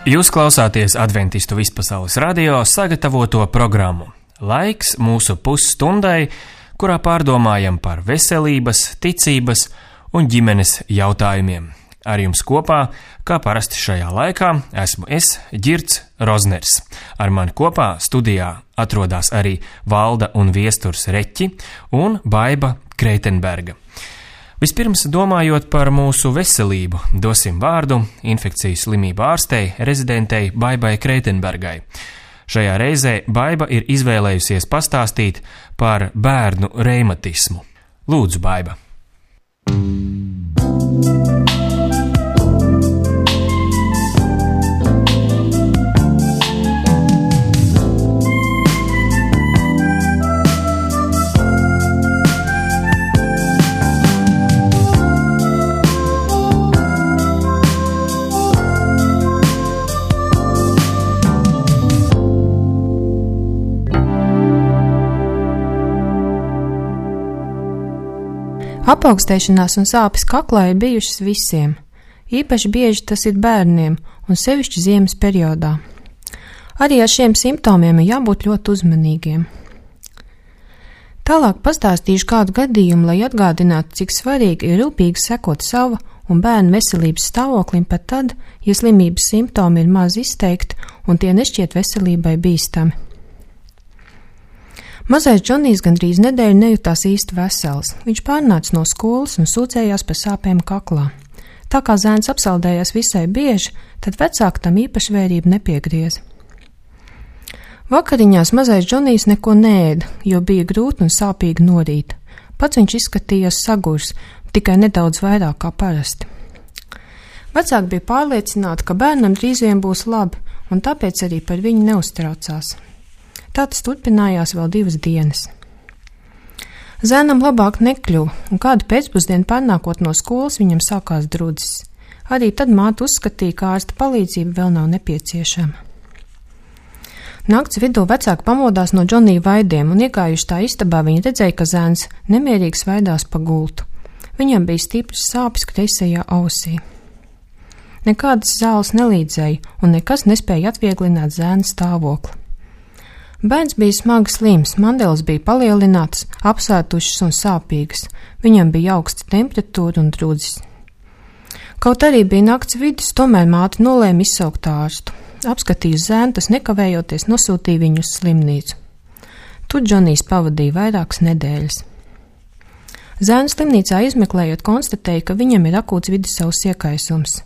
Jūs klausāties Adventistu vispasaules radio sagatavoto programmu. Laiks mūsu pusstundai, kurā pārdomājam par veselības, ticības un ģimenes jautājumiem. Ar jums kopā, kā parasti šajā laikā, esmu es, Ģirds Rozners. Ar mani kopā studijā atrodas arī Valda un Viesturs Reķi un Baiba Kreitenberga. Vispirms, domājot par mūsu veselību, dosim vārdu infekcijas slimību ārstei, rezidentei Baibai Kreitenbergai. Šajā reizē Baiba ir izvēlējusies pastāstīt par bērnu reimatismu. Lūdzu, Baiba! Apaugstēšanās un sāpes kaklā ir bijušas visiem. Īpaši bieži tas ir bērniem un sevišķi ziemas periodā. Arī ar šiem simptomiem ir jābūt ļoti uzmanīgiem. Tālāk pastāstīšu kādu gadījumu, lai atgādinātu, cik svarīgi ir rūpīgi sekot sava un bērnu veselības stāvoklim pat tad, ja slimības simptomi ir maz izteikti un tie nešķiet veselībai bīstami. Mazais Džonijs gandrīz nedēļu nejūtās īsti vesels. Viņš pārnāca no skolas un sūdzējās par sāpēm kaklā. Tā kā zēns apsaldējās visai bieži, tad vecāki tam īpaši vērību nepiegrieza. Vakariņās mazais Džonijs neko neēda, jo bija grūti un sāpīgi no rīta. Pats viņš izskatījās sagurs, tikai nedaudz vairāk kā parasti. Vecāki bija pārliecināti, ka bērnam drīz vien būs labi, un tāpēc arī par viņu neuztraucās. Tā tas turpinājās vēl 2 dienas. Zēnam labāk nekļuva, un kādu pēcpusdienu pārnākot no skolas viņam sākās drudzis. Arī tad māte uzskatīja, ka ārsta palīdzība vēl nav nepieciešama. Nakts vidū vecāki pamodās no Džonija vaidiem, un iegājuši tā istabā viņi redzēja, ka zēns nemierīgi svaidās pa gultu. Viņam bija stipras sāpes kreisajā ausī. Nekādas zāles nelīdzēja, un nekas nespēja atvieglināt zēna stāvokli. Bērns bija smagi slims, mandeles bija palielinātas, apsētušas un sāpīgas. Viņam bija augsta temperatūra un drudzis. Kaut arī bija nakts vidus, tomēr māte nolēma izsaukt ārstu. Apskatījis zēnu, tas nekavējoties nosūtīja viņu uz slimnīcu. Tur Džonijs pavadīja vairākas nedēļas. Zēnu slimnīcā izmeklējot, konstatēja, ka viņam ir akūts vidusavas iekaisums.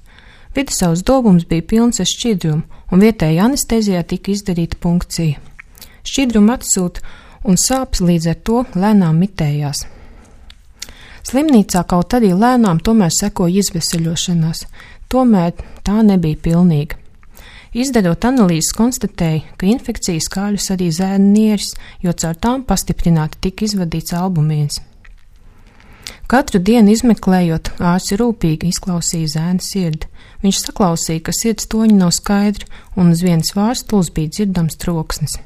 Vidusavas dobums bija pilns ar šķidrumu, un vietēji anestezijā tika izdarīta punkcija. Šķidrumu atsūta un sāpes līdz ar to lēnām mitējās. Slimnīcā kaut arī lēnām tomēr sekoja izveseļošanās, tomēr tā nebija pilnīga. Izdarot analīzes, konstatēja, ka infekcija skārus arī zēna nieres, jo caur tām pastiprināti tika izvadīts albumīns. Katru dienu izmeklējot, ārsts rūpīgi izklausīja zēna sirdi. Viņš saklausīja, ka sirds toņi nav skaidri, un uz vienas vārstules bija dzirdams troksnis.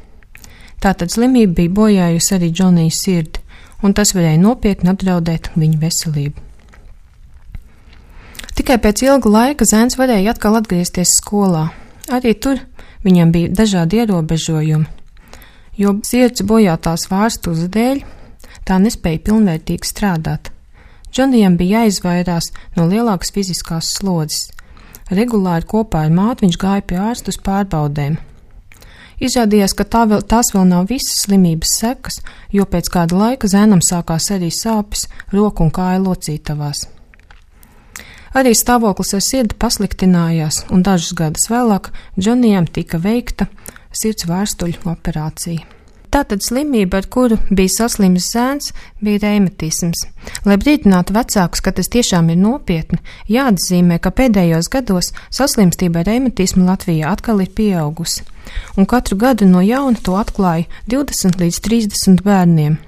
Tātad slimība bija bojājusi arī Džonija sirdi, un tas varēja nopietni apdraudēt viņa veselību. Tikai pēc ilga laika zēns varēja atkal atgriezties skolā. Arī tur viņam bija dažādi ierobežojumi, jo sirds bojātās vārstules dēļ tā nespēja pilnvērtīgi strādāt. Džonijam bija jāizvairās no lielākas fiziskās slodzes. Regulāri kopā ar māti viņš gāja pie ārsta uz pārbaudēm. Izrādījās, ka tās vēl nav visas slimības sekas, jo pēc kāda laika zēnam sākās arī sāpes roku un kāju locītavās. Arī stāvoklis ar sirdi pasliktinājās, un dažus gadus vēlāk Džonijam tika veikta sirds vārstuļu operācija. Tātad slimība, ar kuru bija saslimis zēns, bija reimatisms. Lai brīdinātu vecākus, ka tas tiešām ir nopietni, jāatzīmē, ka pēdējos gados saslimstība ar reimatismu Latvijā atkal ir pieaugusi, un katru gadu no jauna to atklāja 20 līdz 30 bērniem.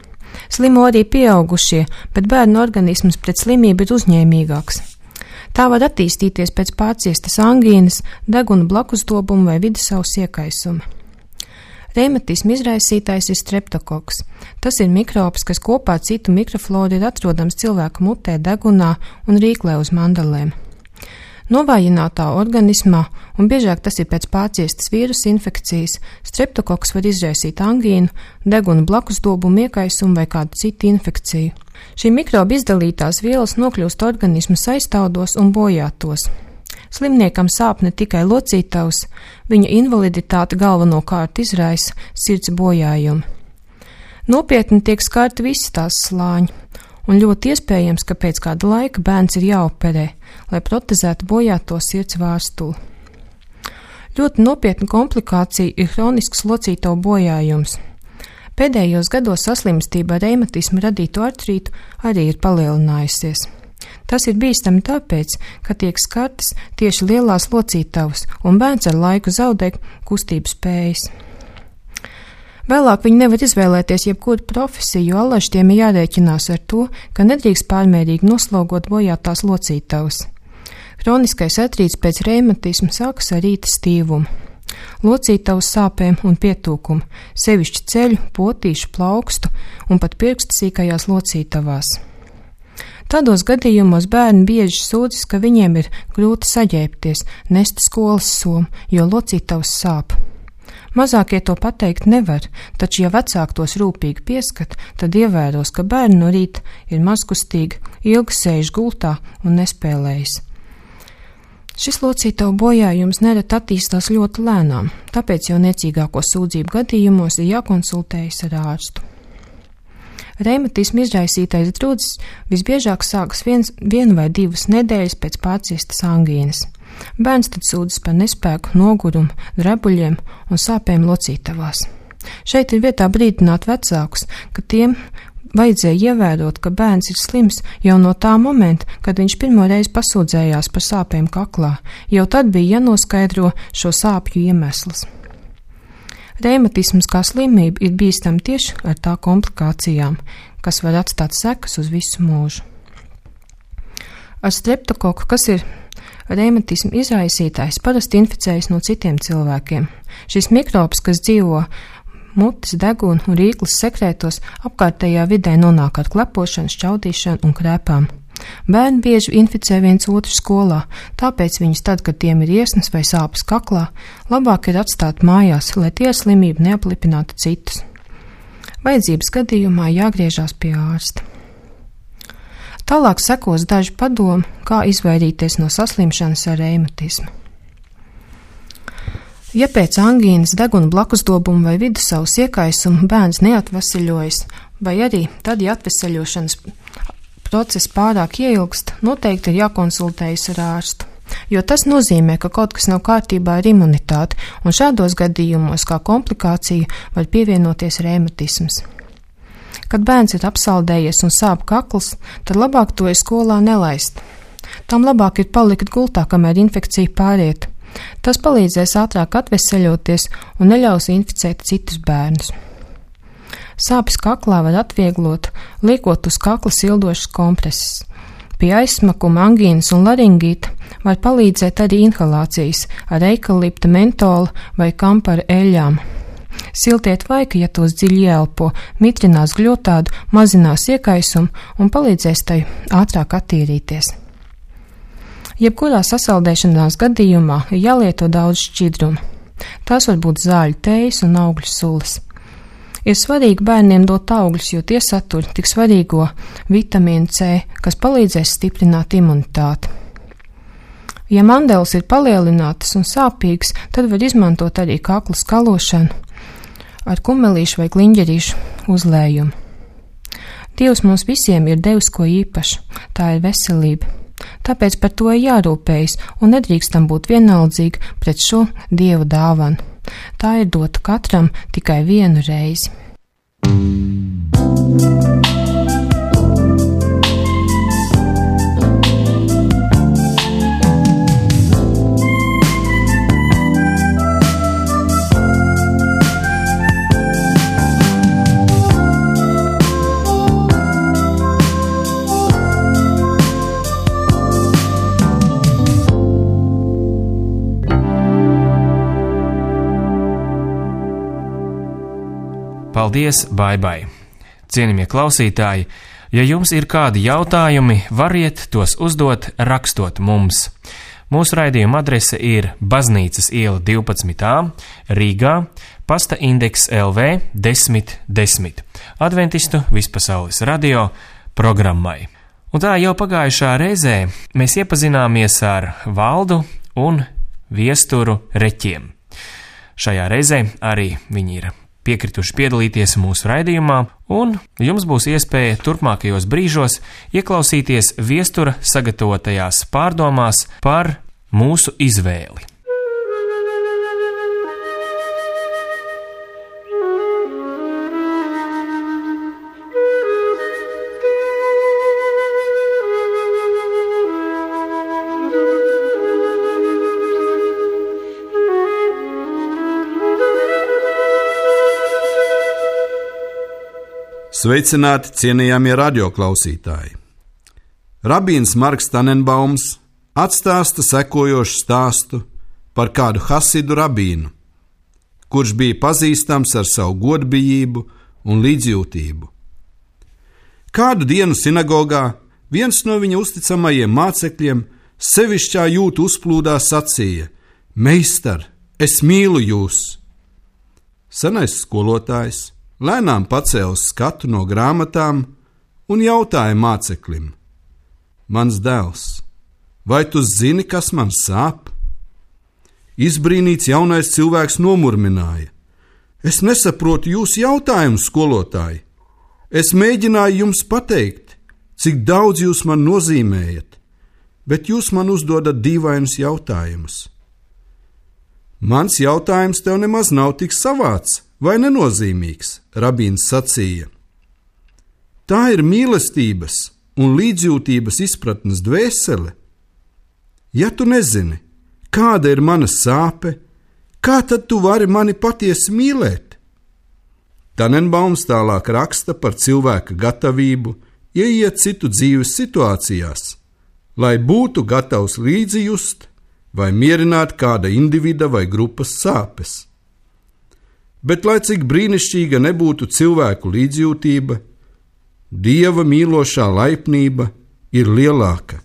Slimo arī pieaugušie, bet bērnu organisms pret slimību ir uzņēmīgāks. Tā var attīstīties pēc pārciestas angīnas, deguna blakusdobuma vai vidusavas iekaisuma. Reimatisma izraisītājs ir streptokoks. Tas ir mikrobs, kas kopā ar citu mikrofloru ir atrodams cilvēka mutē, degunā un rīklē uz mandelēm. Novājinātā organismā, un biežāk tas ir pēc pārciestas vīrusa infekcijas, streptokoks var izraisīt angīnu, deguna blakusdobumu iekaisumu vai kādu citu infekciju. Šī mikroba izdalītās vielas nokļūst organismu aiztaudos un bojātos. Slimniekam sāp ne tikai locītavs, viņa invaliditāte galvenokārt izraisa sirds bojājumi. Nopietni tiek skarti visi tās slāņi, un ļoti iespējams, ka pēc kāda laika bērns ir jāoperē, lai protezētu bojāto sirds vārstuli. Ļoti nopietna komplikācija ir hronisks locītavu bojājums. Pēdējos gados saslimstība ar reimatismu radītu artrītu arī ir palielinājusies. Tas ir bīstami tāpēc, ka tiek skartas tieši lielās locītavas, un bērns ar laiku zaudē kustību spējas. Vēlāk viņi nevar izvēlēties jebkuru profesiju, jo allaž tiem ir jārēķinās ar to, ka nedrīkst pārmērīgi noslogot bojātās locītavas. Hroniskais artrīts pēc reimatisma sākas ar rīta stīvumu, locītavu sāpēm un pietūkumu, sevišķi ceļu, potīšu, plaukstu un pat pirkstu sīkajās locītavās. Tādos gadījumos bērni bieži sūdzas, ka viņiem ir grūti saģērbties, nest skolas somu, jo locītavas sāp. Mazākie to pateikt nevar, taču, ja vecāki tos rūpīgi pieskat, tad ievēros, ka bērni no rīta ir mazkustīgi, ilgi sēž gultā un nespēlējas. Šis locītavu bojājums nereti attīstās ļoti lēnām, tāpēc jau niecīgāko sūdzību gadījumos ir jākonsultējas ar ārstu. Reimatismu izraisītais drudzis visbiežāk sākas vienu vai divas nedēļas pēc pārciestas angīnas. Bērns tad sūdzas par nespēku, nogurumu, drebuļiem un sāpēm locītavās. Šeit ir vietā brīdināt vecākus, ka tiem vajadzēja ievērot, ka bērns ir slims jau no tā momenta, kad viņš pirmo reizi pasūdzējās par sāpēm kaklā. Jau tad bija jānoskaidro šo sāpju iemesls. Reimatisms kā slimība ir bīstama tieši ar tā komplikācijām, kas var atstāt sekas uz visu mūžu. Ar streptokoku, kas ir reimatismu izraisītājs, parasti inficējas no citiem cilvēkiem. Šis mikrobs, kas dzīvo mutes, deguna un rīklas sekrētos, apkārtējā vidē nonāk ar klepošanu, šķaudīšanu un krēpām. Bērni bieži inficē viens otru skolā, tāpēc viņus tad, kad tiem ir iesnas vai sāpes kaklā, labāk ir atstāt mājās, lai tie slimību neaplipinātu citus. Vajadzības gadījumā jāgriežās pie ārsta. Tālāk sekos daži padomi, kā izvairīties no saslimšanas ar reimatismu. Ja pēc angīnas, deguna blakusdobumu vai vidusavas iekaisuma bērns neatveseļojas, vai arī tad, ja atveseļošanas process pārāk ieilgst, noteikti ir jākonsultējas ar ārstu, jo tas nozīmē, ka kaut kas nav kārtībā ar imunitāti, un šādos gadījumos kā komplikācija var pievienoties reimatisms. Kad bērns ir apsaldējies un sāp kakls, tad labāk to ir skolā nelaist. Tam labāk ir palikt gultā, kamēr infekcija pāriet. Tas palīdzēs ātrāk atveseļoties un neļaus inficēt citus bērnus. Sāpes kaklā var atvieglot, liekot uz kakla sildošas kompreses. Pie aizsmakuma, angīnas un laringīta var palīdzēt arī inhalācijas ar eikalipta, mentola vai kampara eļļām. Siltie tvaiki, ja tos dziļi ieelpo, mitrinās gļotādu, mazinās iekaisumu un palīdzēs tai ātrāk attīrīties. Jebkurā sasaldēšanās gadījumā ir jālieto daudz šķidruma. Tās var būt zāļu tējas un augļu sulas. Ir svarīgi bērniem dot augļus, jo tie satur tik svarīgo vitamīnu C, kas palīdzēs stiprināt imunitāti. Ja mandeles ir palielinātas un sāpīgas, tad var izmantot arī kakla skalošanu ar kumelīšu vai kliņģerīšu uzlējumu. Dievs mums visiem ir devis ko īpašu, tā ir veselība. Tāpēc par to ir jārūpējas un nedrīkstam būt vienaldzīgi pret šo Dieva dāvanu. Tā ir dota katram tikai vienu reizi. Paldies, Baibai! Cienījamie klausītāji, ja jums ir kādi jautājumi, variet tos uzdot rakstot mums. Mūsu raidījuma adrese ir Baznīcas iela 12a, Rīgā, pasta indeks LV 1010, Adventistu vispasaules radio programmai. Un tā jau pagājušā reizē mēs iepazināmies ar Valdu un Viesturu Reķiem. Šajā reizē arī viņi ir piekrituši piedalīties mūsu raidījumā, un jums būs iespēja turpmākajos brīžos ieklausīties Viestura sagatavotajās pārdomās par mūsu izvēli. Sveicināti, cienījamie radioklausītāji! Rabīns Marks Tanenbaums atstāsta sekojošu stāstu par kādu hasidu rabīnu, kurš bija pazīstams ar savu godbijību un līdzjūtību. Kādu dienu sinagogā viens no viņa uzticamajiem mācekļiem sevišķā jūtu uzplūdā sacīja: Meistar, es mīlu jūs! Senais skolotājs lēnām pacēla skatu no grāmatām un jautāja māceklim: Mans dēls, vai tu zini, kas man sāp? Izbrīnīts jaunais cilvēks nomurmināja: Es nesaprotu jūsu jautājumu, skolotāji. Es mēģināju jums pateikt, cik daudz jūs man nozīmējat, bet jūs man uzdodat dīvainus jautājumus. Mans jautājums tev nemaz nav tik savāds vai nenozīmīgs, rabīns sacīja. Tā ir mīlestības un līdzjūtības izpratnes dvēsele. Ja tu nezini, kāda ir mana sāpe, kā tad tu vari mani patiesi mīlēt? Tanenbaums tālāk raksta par cilvēka gatavību ieiet citu dzīves situācijās, lai būtu gatavs līdzjust vai mierināt kāda individa vai grupas sāpes. Bet, lai cik brīnišķīga nebūtu cilvēku līdzjūtība, Dieva mīlošā laipnība ir lielāka.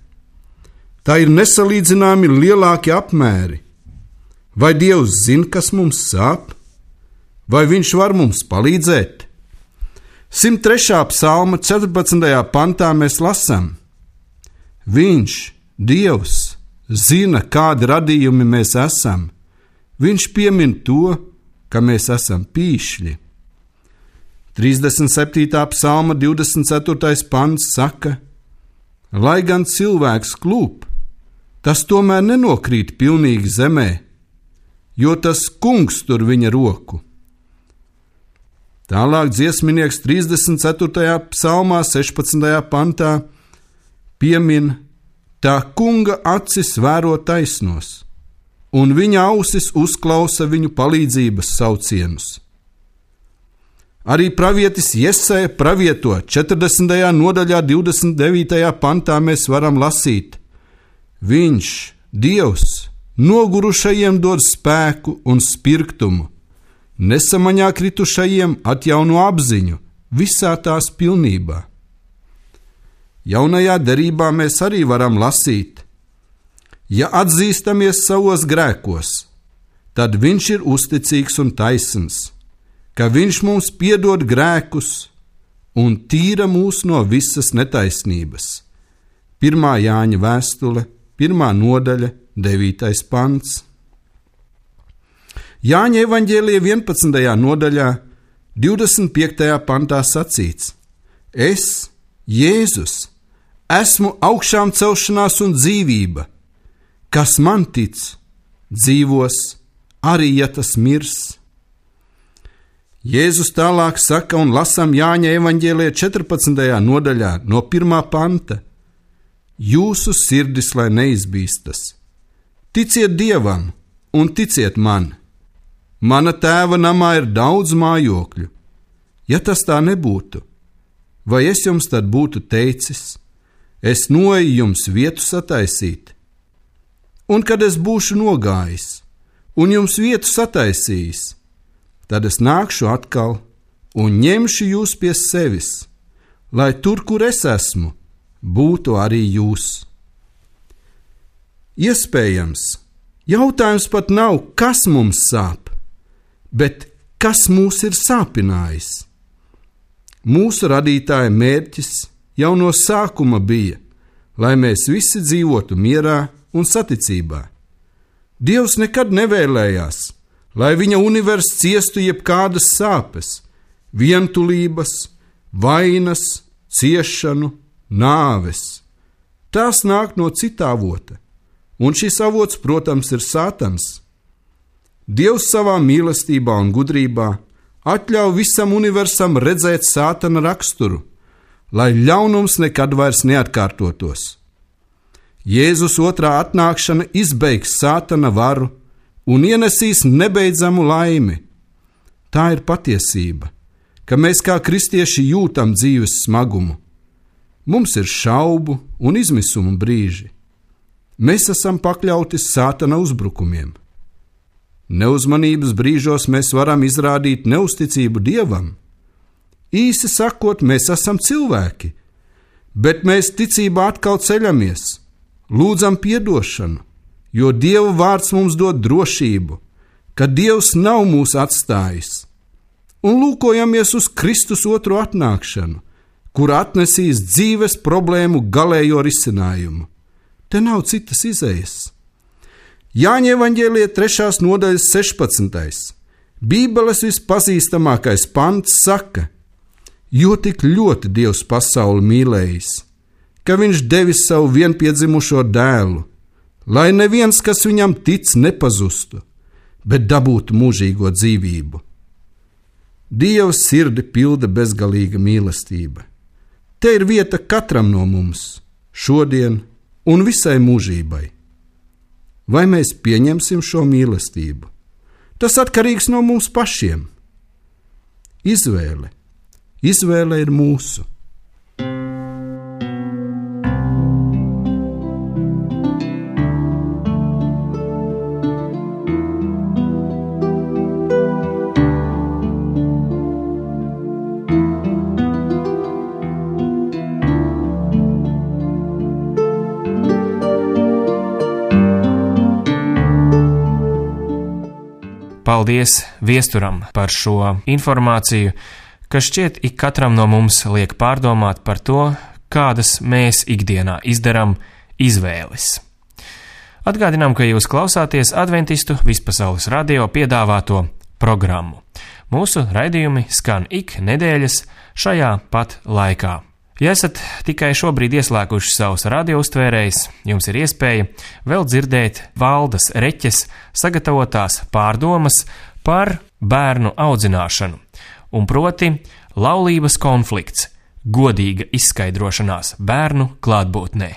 Tā ir nesalīdzināmi lielāki apmēri. Vai Dievs zina, kas mums sāp? Vai Viņš var mums palīdzēt? 103. psalma 14. pantā mēs lasām: Viņš, Dievs, zina, kādi radījumi mēs esam. Viņš piemin to, ka mēs esam pīšļi. 37. psalma 24. pants saka: Lai gan cilvēks klūp, tas tomēr nenokrīt pilnīgi zemē, jo tas Kungs tur viņa roku. Tālāk dziesminieks 34. psalmā 16. pantā piemin: Tā Kunga acis vēro taisnos, un viņa ausis uzklausa viņu palīdzības saucienus. Arī pravietis Jesaja pravieto 40. nodaļā 29. pantā mēs varam lasīt: Viņš, Dievs, nogurušajiem dod spēku un spirktumu, nesamaņā kritušajiem atjauno apziņu visā tās pilnībā. Jaunajā derībā mēs arī varam lasīt: Ja atzīstamies savos grēkos, tad Viņš ir uzticīgs un taisns, ka Viņš mums piedod grēkus un tīra mūs no visas netaisnības. 1. Jāņa vēstule, 1. nodaļa, 9. pants. Jāņa evaņģēlija 11. nodaļā, 25. pantā sacīts: Es, Jēzus, esmu augšām celšanās un dzīvība. Kas man tic, dzīvos, arī ja tas mirs. Jēzus tālāk saka un lasām Jāņa evaņģēlijā 14. nodaļā no 1. panta: Jūsu sirdis lai neizbīstas. Ticiet Dievam un ticiet man. Mana tēva namā ir daudz mājokļu. Ja tas tā nebūtu, vai es jums tad būtu teicis: Es noeju jums vietu sataisīt? Un kad es būšu nogājis un jums vietu sataisījis, tad es nākšu atkal un ņemšu jūs pie sevis, lai tur, kur es esmu, būtu arī jūs. Iespējams, jautājums pat nav, kas mums sāp, bet kas mūs ir sāpinājis. Mūsu radītāja mērķis jau no sākuma bija, lai mēs visi dzīvotu mierā un saticībā. Dievs nekad nevēlējās, lai viņa universs ciestu jebkādas sāpes, vientulības, vainas, ciešanu, nāves. Tās nāk no cita avota, un šis avots, protams, ir Sātans. Dievs savā mīlestībā un gudrībā atļauj visam universam redzēt Sātana raksturu, lai ļaunums nekad vairs neatkārtotos. Jēzus otrā atnākšana izbeigs Sātana varu un ienesīs nebeidzamu laimi. Tā ir patiesība, ka mēs kā kristieši jūtam dzīves smagumu. Mums ir šaubu un izmisuma brīži. Mēs esam pakļauti Sātana uzbrukumiem. Neuzmanības brīžos mēs varam izrādīt neusticību Dievam. Īsi sakot, mēs esam cilvēki, bet mēs ticībā atkal ceļamies, lūdzam piedošanu, jo Dieva vārds mums dod drošību, ka Dievs nav mūs atstājis, un lūkojamies uz Kristus otro atnākšanu, kur atnesīs dzīves problēmu galējo risinājumu. Te nav citas izejas. Jāņa evaņģēlija 3. nodaļas 16. Bībeles vispazīstamākais pants saka: jo tik ļoti Dievs pasauli mīlējis, ka viņš devis savu vienpiedzimušo dēlu, lai neviens, kas viņam tic, nepazustu, bet dabūtu mūžīgo dzīvību. Dieva sirdi pilda bezgalīga mīlestība. Te ir vieta katram no mums, šodien un visai mūžībai. Vai mēs pieņemsim šo mīlestību? Tas atkarīgs no mums pašiem. Izvēle ir mūsu. Paldies viesturam par šo informāciju, kas šķiet ik katram no mums liek pārdomāt par to, kādas mēs ikdienā izdarām izvēles. Atgādinām, ka jūs klausāties Adventistu Vispasaules radio piedāvāto programmu. Mūsu raidījumi skan ik nedēļas šajā pat laikā. Ja esat tikai šobrīd ieslēguši savus radiouztvērējus, jums ir iespēja vēl dzirdēt Valdas Reķes sagatavotās pārdomas par bērnu audzināšanu, un proti laulības konflikts, godīga izskaidrošanās bērnu klātbūtnē.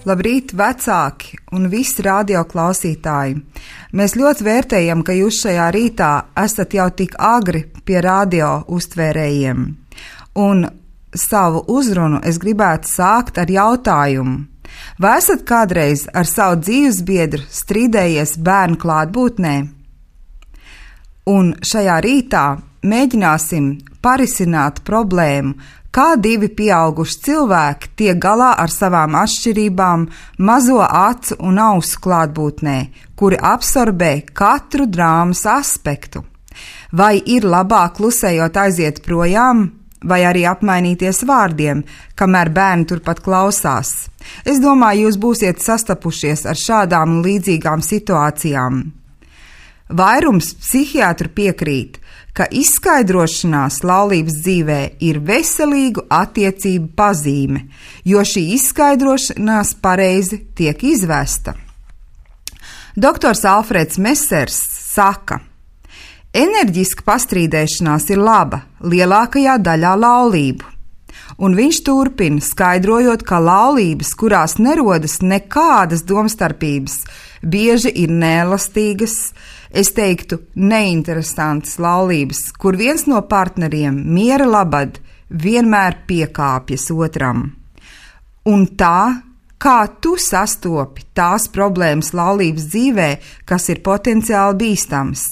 Labrīt, vecāki un visi radio klausītāji! Mēs ļoti vērtējam, ka jūs šajā rītā esat jau tik agri pie radio uztvērējiem. Un savu uzrunu es gribētu sākt ar jautājumu. Vai esat kādreiz ar savu dzīvesbiedru strīdējies bērnu klātbūtnē? Un šajā rītā mēģināsim parisināt problēmu, kā divi pieauguši cilvēki tiek galā ar savām atšķirībām mazo acu un ausu klātbūtnē, kuri absorbē katru drāmas aspektu. Vai ir labāk klusējot aiziet projām, vai arī apmainīties vārdiem, kamēr bērni turpat klausās? Es domāju, jūs būsiet sastapušies ar šādām un līdzīgām situācijām. Vairums psihiatru piekrīt, ka izskaidrošanās laulības dzīvē ir veselīgu attiecību pazīme, jo šī izskaidrošanās pareizi tiek izvesta. Doktors Alfreds Mesers saka: enerģiska pastrīdēšanās ir laba lielākajā daļā laulību. Un viņš turpina, skaidrojot, ka laulības, kurās nerodas nekādas domstarpības, bieži ir neelastīgas, es teiktu, neinteresantas laulības, kur viens no partneriem miera labad vienmēr piekāpjas otram. Un tā, Kā tu sastopi tās problēmas laulības dzīvē, kas ir potenciāli bīstams?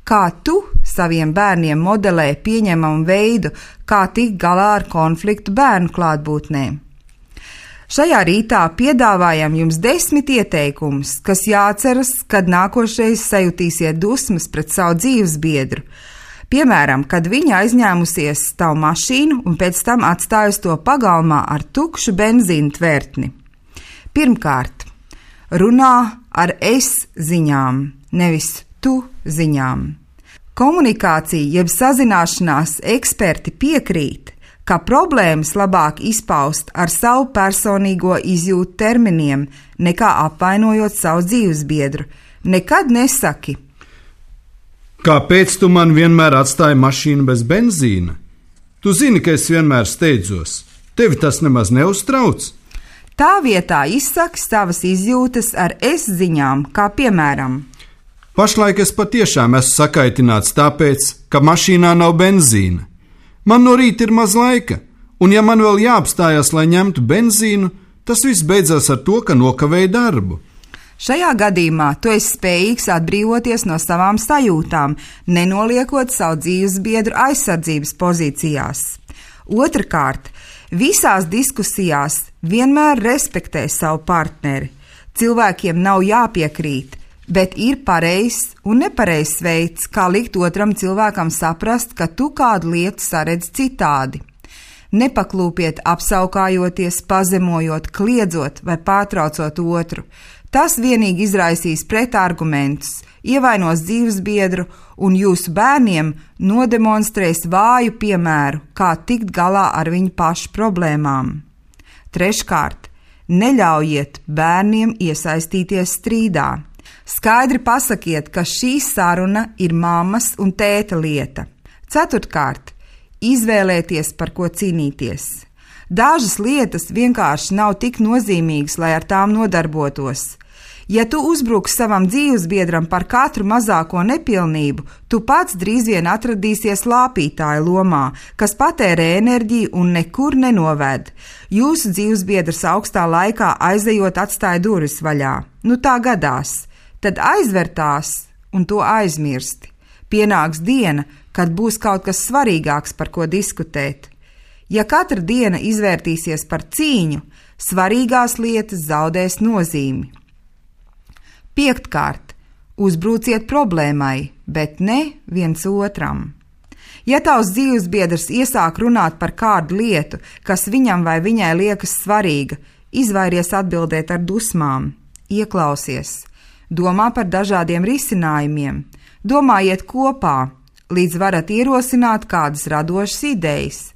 Kā tu saviem bērniem modelē pieņemamu veidu, kā tikt galā ar konfliktu bērnu klātbūtnē? Šajā rītā piedāvājam jums 10 ieteikumus, kas jāatceras, kad nākošreiz sajutīsiet dusmas pret savu dzīvesbiedru. Piemēram, kad viņa aizņēmusies tavu mašīnu un pēc tam atstājusi to pagalmā ar tukšu benzīna tvertni. Pirmkārt, runā ar es ziņām, nevis tu ziņām. Komunikācija jeb sazināšanās eksperti piekrīt, ka problēmas labāk izpaust ar savu personīgo izjūtu terminiem, nekā apvainojot savu dzīvesbiedru. Nekad nesaki: Kāpēc tu man vienmēr atstāji mašīnu bez benzīna? Tu zini, ka es vienmēr steidzos. Tevi tas nemaz neuztrauc. Tā vietā izsaki savas izjūtas ar es ziņām, kā piemēram: Pašlaik es patiešām esmu sakaitināts tāpēc, ka mašīnā nav benzīna. Man no rīta ir maz laika, un ja man vēl jāapstājas, lai ņemtu benzīnu, tas viss beidzās ar to, ka nokavēju darbu. Šajā gadījumā tu esi spējīgs atbrīvoties no savām sajūtām, nenoliekot savu dzīvesbiedru aizsardzības pozīcijās. Otrakārt, visās diskusijās vienmēr respektē savu partneri. Cilvēkiem nav jāpiekrīt, bet ir pareizs un nepareizs veids, kā likt otram cilvēkam saprast, ka tu kādu lietu saredz citādi. Nepaklūpiet apsaukājoties, pazemojot, kliedzot vai pārtraucot otru. Tas vienīgi izraisīs pretargumentus, ievainos dzīvesbiedru un jūsu bērniem nodemonstrēs vāju piemēru, kā tikt galā ar viņu pašu problēmām. Treškārt, neļaujiet bērniem iesaistīties strīdā. Skaidri pasakiet, ka šī saruna ir mammas un tēta lieta. Ceturtkārt, izvēlēties, par ko cīnīties. Dažas lietas vienkārši nav tik nozīmīgas, lai ar tām nodarbotos. Ja tu uzbruksi savam dzīvesbiedram par katru mazāko nepilnību, tu pats drīz vien atradīsies lāpītāja lomā, kas patērē enerģiju un nekur nenoved. Jūsu dzīvesbiedrs augstā laikā aizejot atstāja durvis vaļā. Nu tā gadās. Tad aizver tās un to aizmirsti. Pienāks diena, kad būs kaut kas svarīgāks, par ko diskutēt. Ja katra diena izvērtīsies par cīņu, svarīgās lietas zaudēs nozīmi. Piektkārt, uzbruciet problēmai, bet ne viens otram. Ja tavs dzīvesbiedrs iesāk runāt par kādu lietu, kas viņam vai viņai liekas svarīga, izvairies atbildēt ar dusmām, ieklausies. Domā par dažādiem risinājumiem, domājiet kopā, līdz varat ierosināt kādas radošas idejas.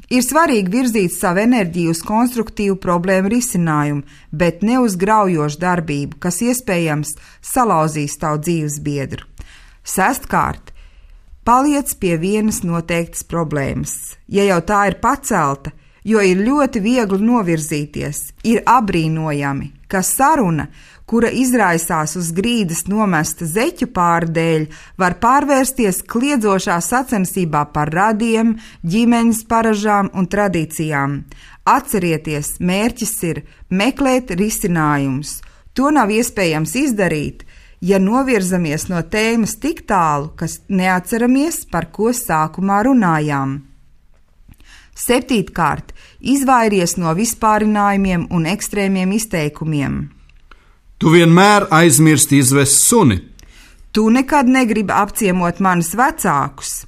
Ir svarīgi virzīt savu enerģiju uz konstruktīvu problēmu risinājumu, bet ne uz graujošu darbību, kas iespējams salauzīs tavu dzīvesbiedru. Sestkārt, paliec pie vienas noteiktas problēmas. Ja jau tā ir pacelta, jo ir ļoti viegli novirzīties, ir apbrīnojami, ka saruna, kura izraisās uz grīdas nomesta zeķu pāra dēļ, var pārvērsties kliedzošā sacensībā par radiem, ģimenes paražām un tradīcijām. Atcerieties, mērķis ir meklēt risinājumus. To nav iespējams izdarīt, ja novirzamies no tēmas tik tālu, kas neatceramies, par ko sākumā runājām. Septītkārt, izvairies no vispārinājumiem un ekstrēmiem izteikumiem. Tu vienmēr aizmirsti izvest suni. Tu nekad negribi apciemot manus vecākus.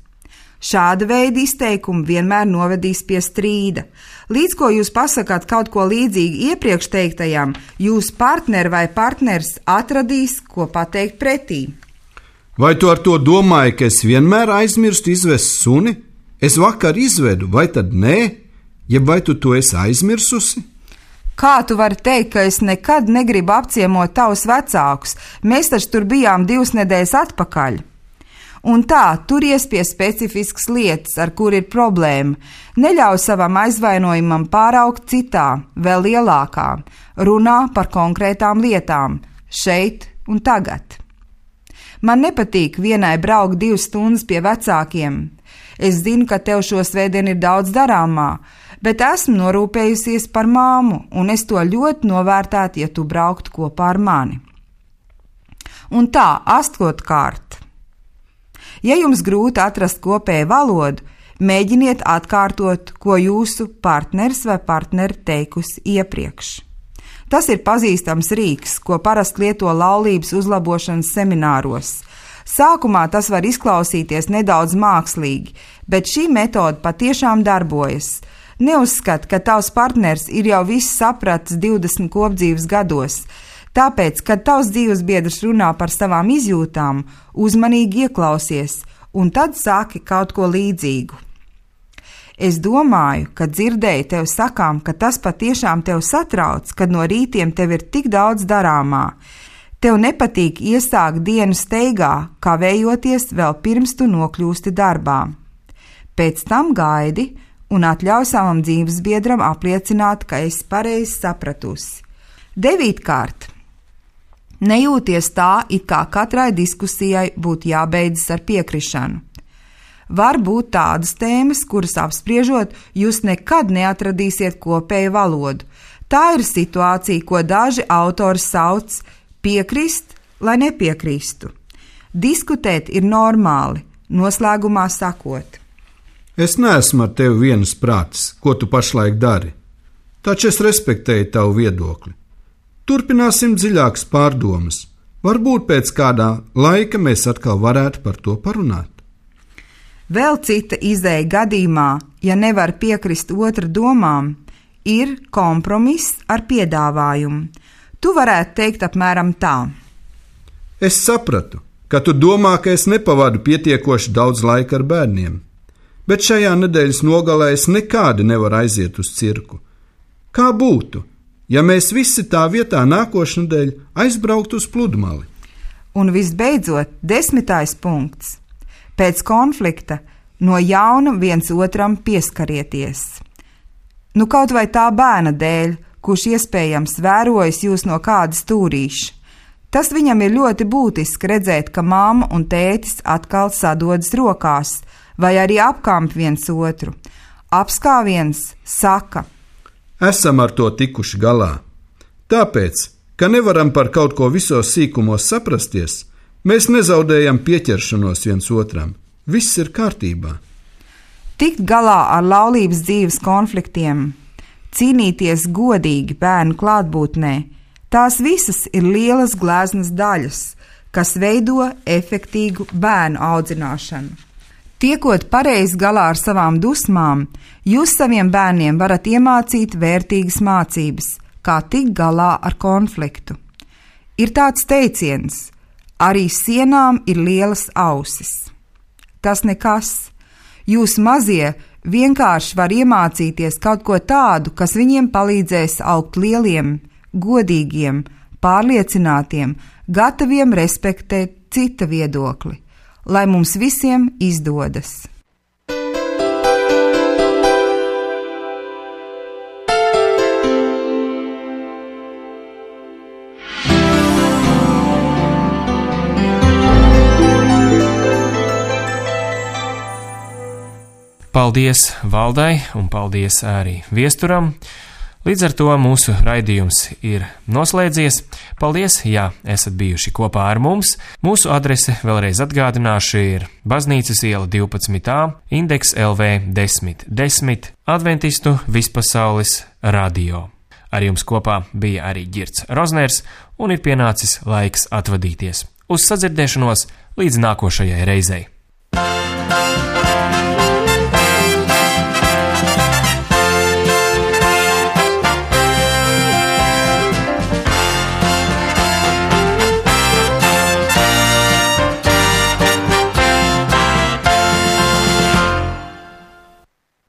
Šāda veida izteikumi vienmēr novedīs pie strīda. Līdz ko jūs pasakāt kaut ko līdzīgu iepriekš teiktajam, jūs partneri vai partneris atradīs, ko pateikt pretī. Vai tu ar to domāji, ka es vienmēr aizmirstu izvest suni? Es vakar izvedu, vai tad nē? Jeb vai tu to esi aizmirsusi? Kā tu vari teikt, ka es nekad negribu apciemot tavus vecākus? Mēs taču tur bijām 2 nedēļas atpakaļ. Un tā, turies pie specifiskas lietas, ar kur ir problēma. Neļauj savam aizvainojumam pāraugt citā, vēl lielākā. Runā par konkrētām lietām, šeit un tagad. Man nepatīk vienai braukt 2 stundas pie vecākiem. Es zinu, ka tev šo svētdienu ir daudz darāmā. bet esmu norūpējusies par māmu, un es to ļoti novērtētu, ja tu brauktu kopā ar mani. Un tā, 8. Ja jums grūti atrast kopēju valodu, mēģiniet atkārtot, ko jūsu partneris vai partneri teikusi iepriekš. Tas ir pazīstams rīks, ko parasti lieto laulības uzlabošanas semināros. Sākumā tas var izklausīties nedaudz mākslīgi, bet šī metode patiešām darbojas. Neuzskat, ka tavs partners ir jau viss sapratis 20 kopdzīves gados, tāpēc, kad tavs dzīvesbiedrs runā par savām izjūtām, uzmanīgi ieklausies, un tad sāki kaut ko līdzīgu. Es domāju, ka dzirdēju tev sakām, ka tas patiešām tev satrauc, kad no rītiem tev ir tik daudz darāmā. Tev nepatīk iesākt dienu steigā, kavējoties vēl pirms tu nokļūsti darbā. Pēc tam gaidi un atļauj savam dzīvesbiedram apliecināt, ka esi pareizi sapratusi. 9. Nejūties tā, it kā katrai diskusijai būtu jābeidzas ar piekrišanu. Var būt tādas tēmas, kuras apspriežot, jūs nekad neatradīsiet kopēju valodu. Tā ir situācija, ko daži autori sauc piekrist, lai nepiekristu. Diskutēt ir normāli, noslēgumā sakot. Es neesmu ar tevi vienas prātis, ko tu pašlaik dari, taču es respektēju tavu viedokli. Turpināsim dziļākas pārdomas. Varbūt pēc kādā laika mēs atkal varētu par to parunāt. Vēl cita izeja gadījumā, ja nevar piekrist otra domām, ir kompromiss ar piedāvājumu. Tu varētu teikt apmēram tā. Es sapratu, ka tu domā, ka es nepavadu pietiekoši daudz laika ar bērniem, bet šajā nedēļas nogalē es nekādi nevaru aiziet uz cirku. Kā būtu, ja mēs visi tā vietā nākošnedēļ aizbrauktu uz pludmali? Un visbeidzot, 10. punkts. Pēc konflikta no jauna viens otram pieskarieties. Nu kaut vai tā bērna dēļ, kurš iespējams vērojas jūs no kāda stūrīša. Tas viņam ir ļoti būtiski redzēt, ka mamma un tētis atkal sadodas rokās, vai arī apkamp viens otru. Apskāviens saka: Esam ar to tikuši galā. Tāpēc, ka nevaram par kaut ko visos sīkumos saprasties, mēs nezaudējam pieķeršanos viens otram. Viss ir kārtībā. Tikt galā ar laulības dzīves konfliktiem, cīnīties godīgi bērnu klātbūtnē, tās visas ir lielas gleznas daļas, kas veido efektīgu bērnu audzināšanu. Tiekot pareizi galā ar savām dusmām, jūs saviem bērniem varat iemācīt vērtīgas mācības, kā tikt galā ar konfliktu. Ir tāds teiciens: arī sienām ir lielas ausis. Tas nekas. Jūs mazie vienkārši var iemācīties kaut ko tādu, kas viņiem palīdzēs augt lieliem, godīgiem, pārliecinātiem, gataviem respektēt cita viedokli. Lai mums visiem izdodas! Paldies Valdai un paldies arī viesturam. Līdz ar to mūsu raidījums ir noslēdzies. Paldies, ja esat bijuši kopā ar mums. Mūsu adrese vēlreiz atgādināšu ir Baznīcas iela 12a, Indeks LV 1010, Adventistu vispasaules radio. Ar jums kopā bija arī Girts Rozners, un ir pienācis laiks atvadīties. Uz sadzirdēšanos līdz nākošajai reizei.